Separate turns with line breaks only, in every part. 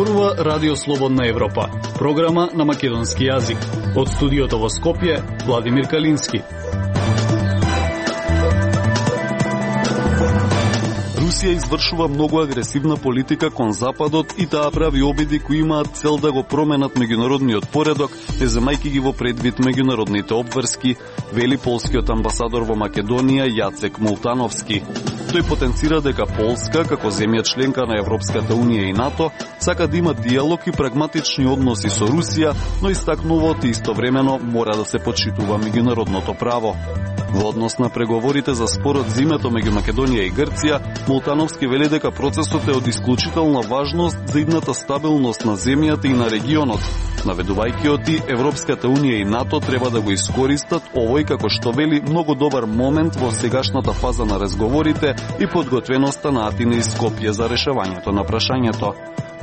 Зборува Радио Слободна Европа, програма на македонски јазик. Од студиото во Скопје, Владимир Калински.
Русија извршува многу агресивна политика кон Западот и таа прави обиди кои имаат цел да го променат меѓународниот поредок, не земајќи ги во предвид меѓународните обврски, вели полскиот амбасадор во Македонија Јацек Молтановски. Тој потенцира дека Полска, како земја членка на Европската Унија и НАТО, сака да има диалог и прагматични односи со Русија, но истакнува истовремено мора да се почитува меѓународното право. Во однос на преговорите за спорот за името меѓу Македонија и Грција, Молтановски вели дека процесот е од исклучителна важност за идната стабилност на земјата и на регионот, наведувајќи оти Европската Унија и НАТО треба да го искористат овој, како што вели, многу добар момент во сегашната фаза на разговорите и подготвеноста на Атина и Скопје за решавањето на прашањето.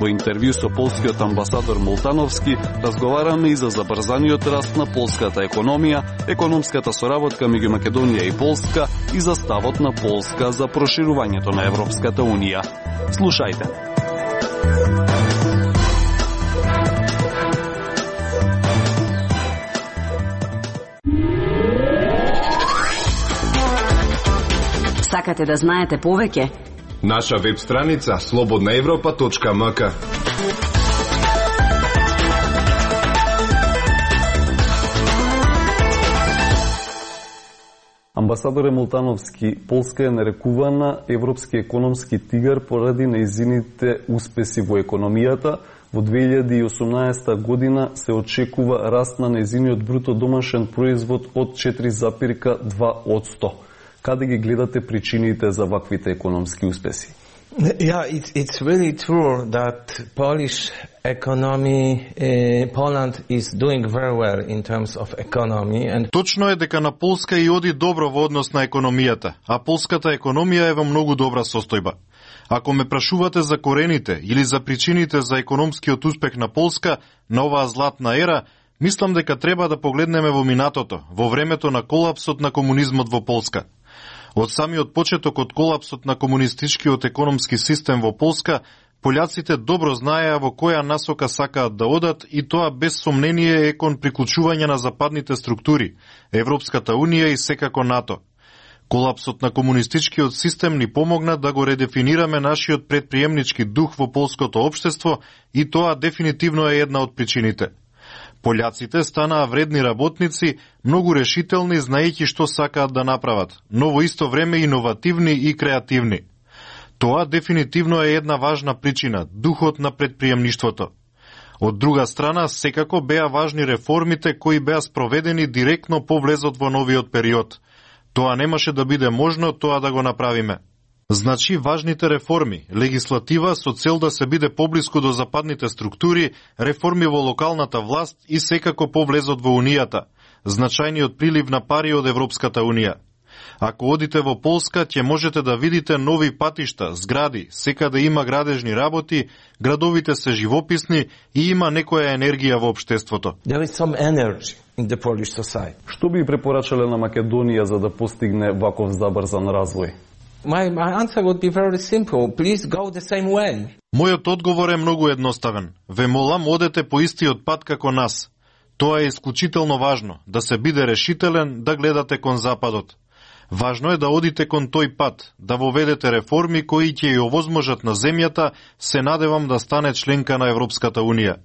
Во интервју со полскиот амбасадор Молтановски разговараме и за забрзаниот раст на полската економија, економската соработка меѓу Македонија и Полска и за ставот на Полска за проширувањето на Европската Унија. Слушајте.
Сакате да знаете повеќе?
Наша веб страница slobodnaevropa.mk.
Амбасадоре Молтановски, Полска е нарекувана европски економски тигар поради нејзините успеси во економијата. Во 2018 година се очекува раст на нејзиниот бруто домашен производ од 4,2%. Каде ги гледате причините за ваквите економски успеси?
Yeah, it's really true that Polish economy, Poland is doing very well in terms of economy. And
Точно е дека на Полска и оди добро во однос на економијата, а полската економија е во многу добра состојба. Ако ме прашувате за корените или за причините за економскиот успех на Полска на оваа златна ера, мислам дека треба да погледнеме во минатото, во времето на колапсот на комунизмот во Полска. Од самиот почеток од колапсот на комунистичкиот економски систем во Полска, пољаците добро знаеа во која насока сакаат да одат и тоа без сомнение е кон приклучување на западните структури, Европската Унија и секако НАТО. Колапсот на комунистичкиот систем ни помогна да го редефинираме нашиот предприемнички дух во полското општество и тоа дефинитивно е една од причините. Пољаците станаа вредни работници, многу решителни, знаејќи што сакаат да направат, но во исто време иновативни и креативни. Тоа дефинитивно е една важна причина, духот на предприемништвото. Од друга страна, секако беа важни реформите кои беа спроведени директно по влезот во новиот период. Тоа немаше да биде можно тоа да го направиме. Значи, важните реформи, легислатива со цел да се биде поблиску до западните структури, реформи во локалната власт и секако по влезот во Унијата, значајниот прилив на пари од Европската Унија. Ако одите во Полска, ќе можете да видите нови патишта, згради, секаде има градежни работи, градовите се живописни и има некоја енергија во општеството.
there is some energy in the Polish society.
Што би препорачале на Македонија за да постигне ваков забрзан развој?
My answer would be very simple. Please go the same way.
Мојот одговор е многу едноставен. Ве молам, одете по истиот пат како нас. Тоа е исклучително важно, да се биде решителен, да гледате кон Западот. Важно е да одите кон тој пат, да воведете реформи кои ќе ја овозможат на земјата, се надевам да стане членка на Европската Унија.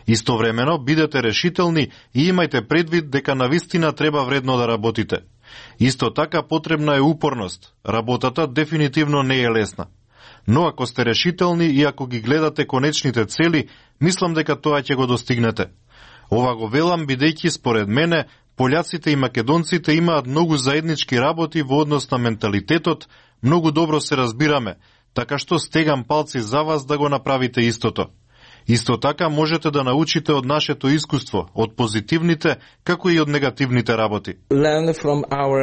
Истовремено, бидете решителни и имајте предвид дека навистина треба вредно да работите. Исто така потребна е упорност. Работата дефинитивно не е лесна. Но ако сте решителни и ако ги гледате конечните цели, мислам дека тоа ќе го достигнете. Ова го велам бидејќи според мене пољаците и македонците имаат многу заеднички работи во однос на менталитетот, многу добро се разбираме, така што стегам палци за вас да го направите истото. Исто така можете да научите од нашето искуство, од позитивните, како и од негативните работи.
Learn from our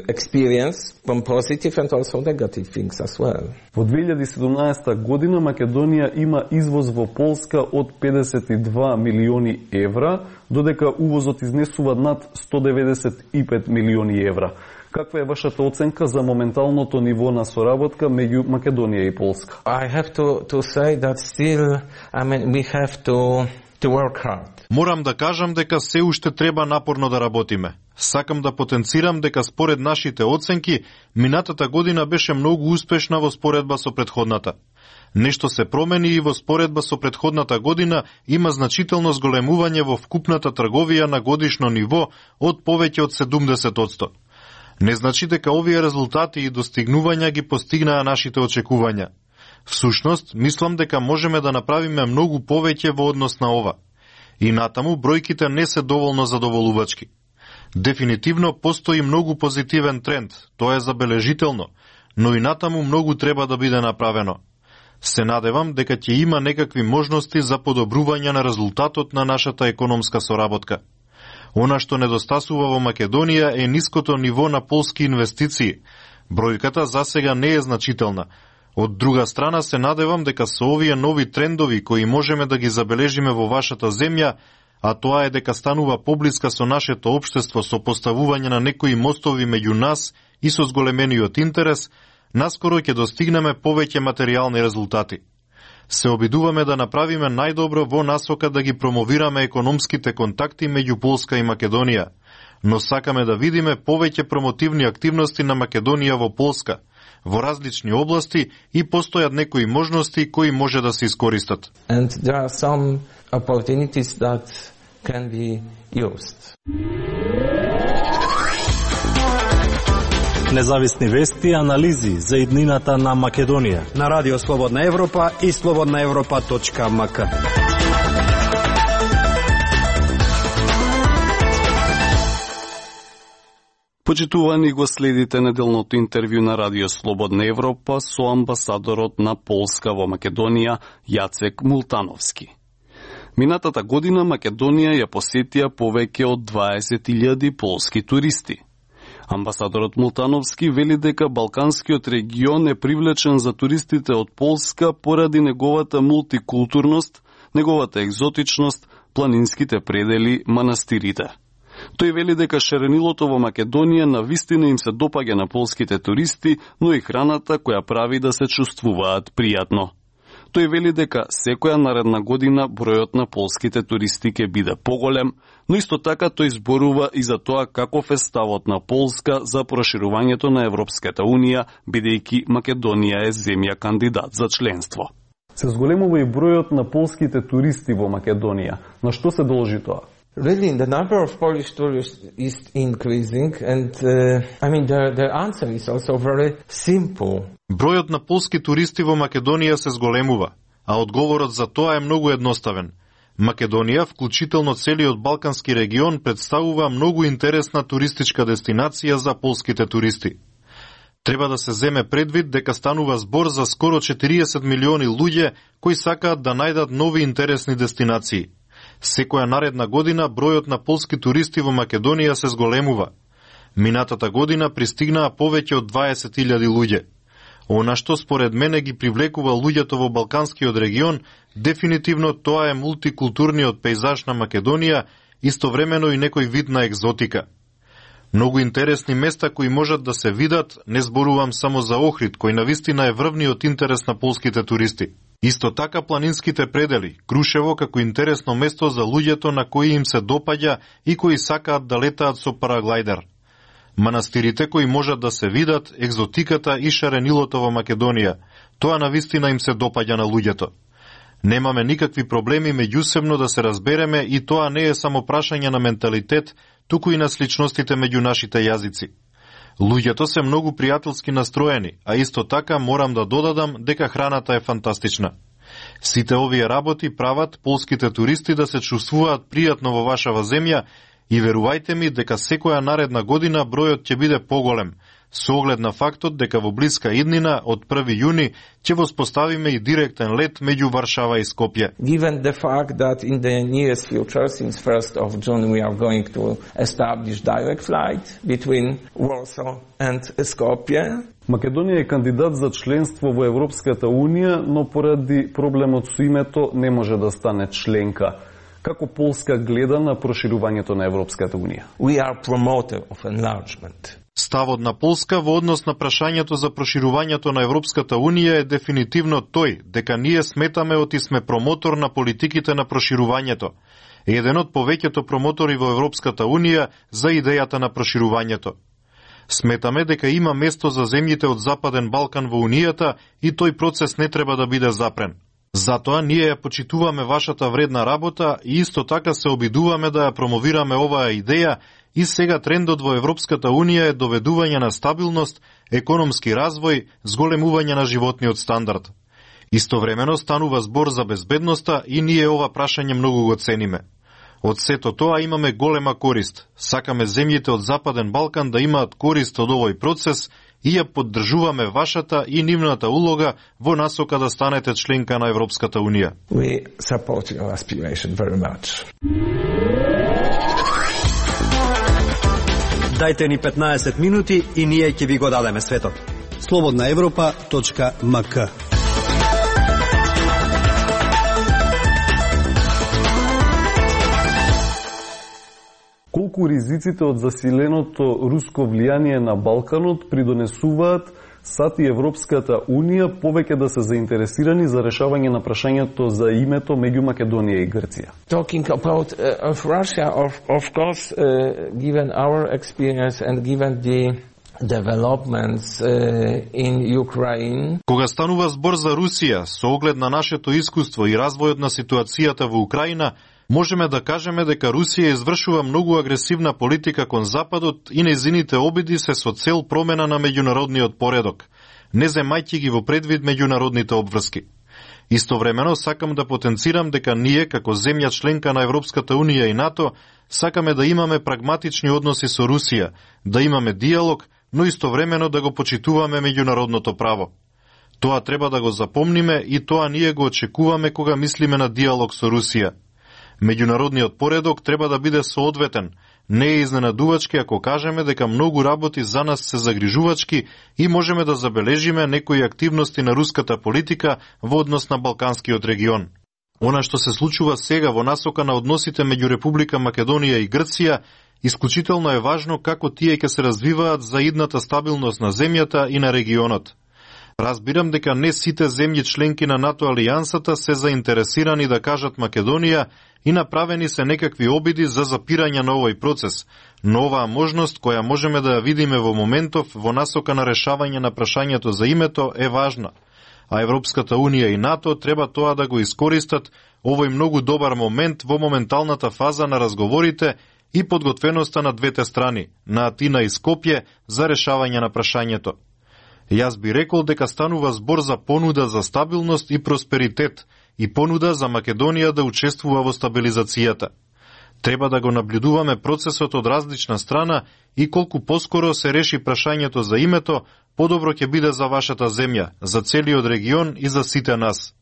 experience, from positive and also negative things as well.
Во 2017 година Македонија има извоз во Полска од 52 милиони евра, додека увозот изнесува над 195 милиони евра. Каква е вашата оценка за моменталното ниво на соработка меѓу Македонија и Полска?
I have to say that still, we have to work hard.
Морам да кажам дека се уште треба напорно да работиме. Сакам да потенцирам дека според нашите оценки, минатата година беше многу успешна во споредба со претходната. Нешто се промени и во споредба со претходната година има значително зголемување во вкупната трговија на годишно ниво од повеќе од 70%. Не значи дека овие резултати и достигнувања ги постигнаа нашите очекувања. Всушност, мислам дека можеме да направиме многу повеќе во однос на ова. И натаму бројките не се доволно задоволувачки. Дефинитивно постои многу позитивен тренд, тоа е забележително, но и натаму многу треба да биде направено. Се надевам дека ќе има некакви можности за подобрување на резултатот на нашата економска соработка. Она што недостасува во Македонија е ниското ниво на полски инвестиции. Бројката засега не е значителна. Од друга страна се надевам дека со овие нови трендови кои можеме да ги забележиме во вашата земја, а тоа е дека станува поблиска со нашето општество со поставување на некои мостови меѓу нас и со зголемениот интерес, наскоро ќе достигнеме повеќе материјални резултати. Се обидуваме да направиме најдобро во насока да ги промовираме економските контакти меѓу Полска и Македонија, но сакаме да видиме повеќе промотивни активности на Македонија во Полска, во различни области и постојат некои можности кои може да се искористат.
And there are some opportunities that can be used.
Независни вести и анализи за иднината на Македонија
на Радио Слободна Европа и slobodnaevropa.mk.
Почитувани, го следите неделното интервју на Радио Слободна Европа со амбасадорот на Полска во Македонија Јацек Мултановски. Минатата година Македонија ја посетија повеќе од 20.000 полски туристи. Амбасадорот Мултановски вели дека Балканскиот регион е привлечен за туристите од Полска поради неговата мултикултурност, неговата екзотичност, планинските предели, манастирите. Тој вели дека шаренилото во Македонија навистина им се допаѓа на полските туристи, но и храната која прави да се чувствуваат пријатно. Тој вели дека секоја наредна година бројот на полските туристи ќе биде поголем, но исто така тој зборува и за тоа каков е ставот на Полска за проширувањето на Европската Унија, бидејќи Македонија е земја кандидат за членство. Се зголемува и бројот на полските туристи во Македонија. На што се должи тоа?
Really, the number of Polish tourists is increasing, and the answer is also very simple.
Бројот на полски туристи во Македонија се зголемува, а одговорот за тоа е многу едноставен. Македонија, вклучително целиот Балкански регион, представува многу интересна туристичка дестинација за полските туристи. Треба да се земе предвид дека станува збор за скоро 40 милиони луѓе кои сакаат да најдат нови интересни дестинации. Секоја наредна година бројот на полски туристи во Македонија се зголемува. Минатата година пристигнаа повеќе од 20.000 луѓе. Она што според мене ги привлекува луѓето во Балканскиот регион, дефинитивно тоа е мултикултурниот пејзаж на Македонија, истовремено и некој вид на екзотика. Многу интересни места кои можат да се видат, не зборувам само за Охрид, кој навистина е врвниот интерес на полските туристи. Исто така планинските предели, Крушево како интересно место за луѓето на кои им се допаѓа и кои сакаат да летаат со параглајдер. Манастирите кои можат да се видат, екзотиката и шаренилото во Македонија, тоа навистина им се допаѓа на луѓето. Немаме никакви проблеми меѓусебно да се разбереме и тоа не е само прашање на менталитет, туку и на сличностите меѓу нашите јазици. Луѓето се многу пријателски настроени, а исто така морам да додадам дека храната е фантастична. Сите овие работи прават полските туристи да се чувствуваат пријатно во вашава земја и верувајте ми дека секоја наредна година бројот ќе биде поголем, со оглед на фактот дека во блиска иднина од 1 јуни ќе воспоставиме и директен лет меѓу Варшава и Скопје.
Given the fact that in the nearest future, since 1st of June, we are going to establish direct flight between Warsaw and Skopje.
Македонија е кандидат за членство во Европската Унија, но поради проблемот со името не може да стане членка. Како Полска гледа на проширувањето на Европската Унија?
We are promoter of enlargement.
Ставот на Полска во однос на прашањето за проширувањето на Европската Унија е дефинитивно тој, дека ние сметаме оти сме промотор на политиките на проширувањето. Еден од повеќето промотори во Европската Унија за идејата на проширувањето. Сметаме дека има место за земјите од Западен Балкан во Унијата и тој процес не треба да биде запрен. Затоа ние ја почитуваме вашата вредна работа и исто така се обидуваме да ја промовираме оваа идеја и сега трендот во Европската Унија е доведување на стабилност, економски развој, зголемување на животниот стандард. Истовремено станува збор за безбедноста и ние ова прашање многу го цениме. Од сето тоа имаме голема корист. Сакаме земјите од Западен Балкан да имаат корист од овој процес и ја поддржуваме вашата и нивната улога во насока да станете членка на Европската Унија.
We support your aspiration very much.
Дајте ни 15 минути и ние ќе ви го дадеме светот.
slobodnaevropa.mk.
Колку ризиците од засиленото руско влијание на Балканот придонесуваат САД и Европската Унија повеќе да се заинтересирани за решавање на прашањето за името меѓу Македонија и Грција?
Talking about of Russia, of course, given our experience and given the developments in Ukraine.
Кога станува збор за Русија, со оглед на нашето искуство и развојот на ситуацијата во Украина, можеме да кажеме дека Русија извршува многу агресивна политика кон Западот и нејзините обиди се со цел промена на меѓународниот поредок, не земајќи ги во предвид меѓународните обврски. Истовремено сакам да потенцирам дека ние, како земја членка на Европската Унија и НАТО, сакаме да имаме прагматични односи со Русија, да имаме диалог, но истовремено да го почитуваме меѓународното право. Тоа треба да го запомниме и тоа ние го очекуваме кога мислиме на диалог со Русија. Меѓународниот поредок треба да биде соодветен. Не е изненадувачки ако кажеме дека многу работи за нас се загрижувачки и можеме да забележиме некои активности на руската политика во однос на Балканскиот регион. Она што се случува сега во насока на односите меѓу Република Македонија и Грција, исклучително е важно како тие ќе се развиваат за идната стабилност на земјата и на регионот. Разбирам дека не сите земји членки на НАТО алијансата се заинтересирани да кажат Македонија и направени се некакви обиди за запирање на овој процес, но оваа можност која можеме да ја видиме во моментов во насока на решавање на прашањето за името е важна, а Европската Унија и НАТО треба тоа да го искористат овој многу добар момент во моменталната фаза на разговорите и подготвеноста на двете страни, на Атина и Скопје, за решавање на прашањето. Јас би рекол дека станува збор за понуда за стабилност и просперитет и понуда за Македонија да учествува во стабилизацијата. Треба да го наблюдуваме процесот од различна страна и колку поскоро се реши прашањето за името, подобро ќе биде за вашата земја, за целиот регион и за сите нас.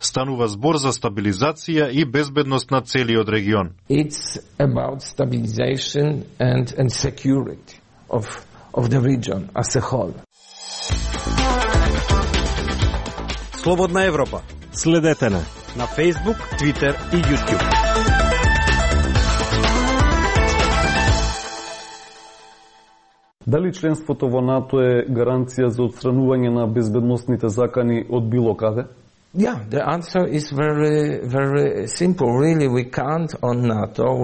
Станува збор за стабилизација и безбедност на целиот регион.
It's about stabilization and security of the region as a whole.
Слободна Европа.
Следете на
Facebook, Twitter и YouTube.
Дали членството во НАТО е гаранција за отстранување на безбедносните закани од било каде?
Yeah, the answer is very simple. Really, we count on NATO.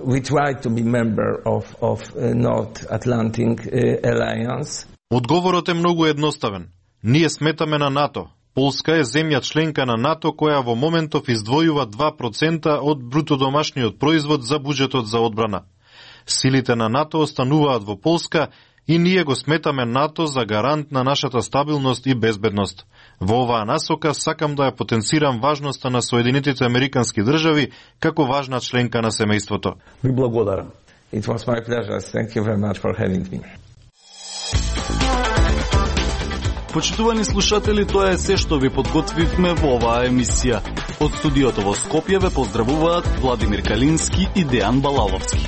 We try to be member of North Atlantic Alliance.
Одговорот е многу едноставен. Ние сметаме на НАТО. Полска е земја членка на НАТО која во моментов издвојува 2% од брутодомашниот производ за буџетот за одбрана. Силите на НАТО остануваат во Полска и ние го сметаме НАТО за гарант на нашата стабилност и безбедност. Во оваа насока сакам да ја потенцирам важноста на Соединетите Американски држави како важна членка на семејството.
Ви благодарам.
It was my pleasure. Thank you very much for having me.
Почитувани слушатели, тоа е се што ви подготвивме во оваа емисија. Од студиото во Скопје ве поздравуваат Владимир Калински и Дејан Балаловски.